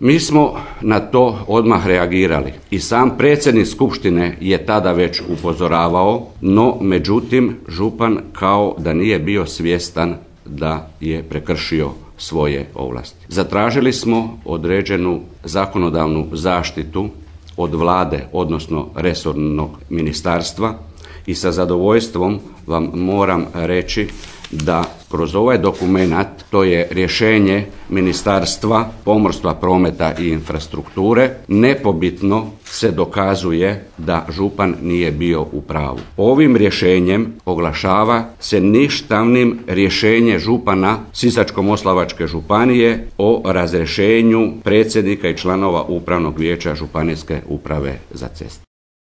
Mi smo na to odmah reagirali i sam predsjednik skupštine je tada već upozoravao, no međutim župan kao da nije bio svjestan da je prekršio svoje ovlasti. Zatražili smo određenu zakonodavnu zaštitu od Vlade, odnosno resornog ministarstva i sa zadovoljstvom vam moram reći da kroz ovaj dokumenat, to je rješenje Ministarstva pomorstva, prometa i infrastrukture, nepobitno se dokazuje da župan nije bio u pravu. Ovim rješenjem oglašava se ništavnim rješenje župana Sisačko-moslavačke županije o razrješenju predsjednika i članova Upravnog vijeća Županijske uprave za ceste.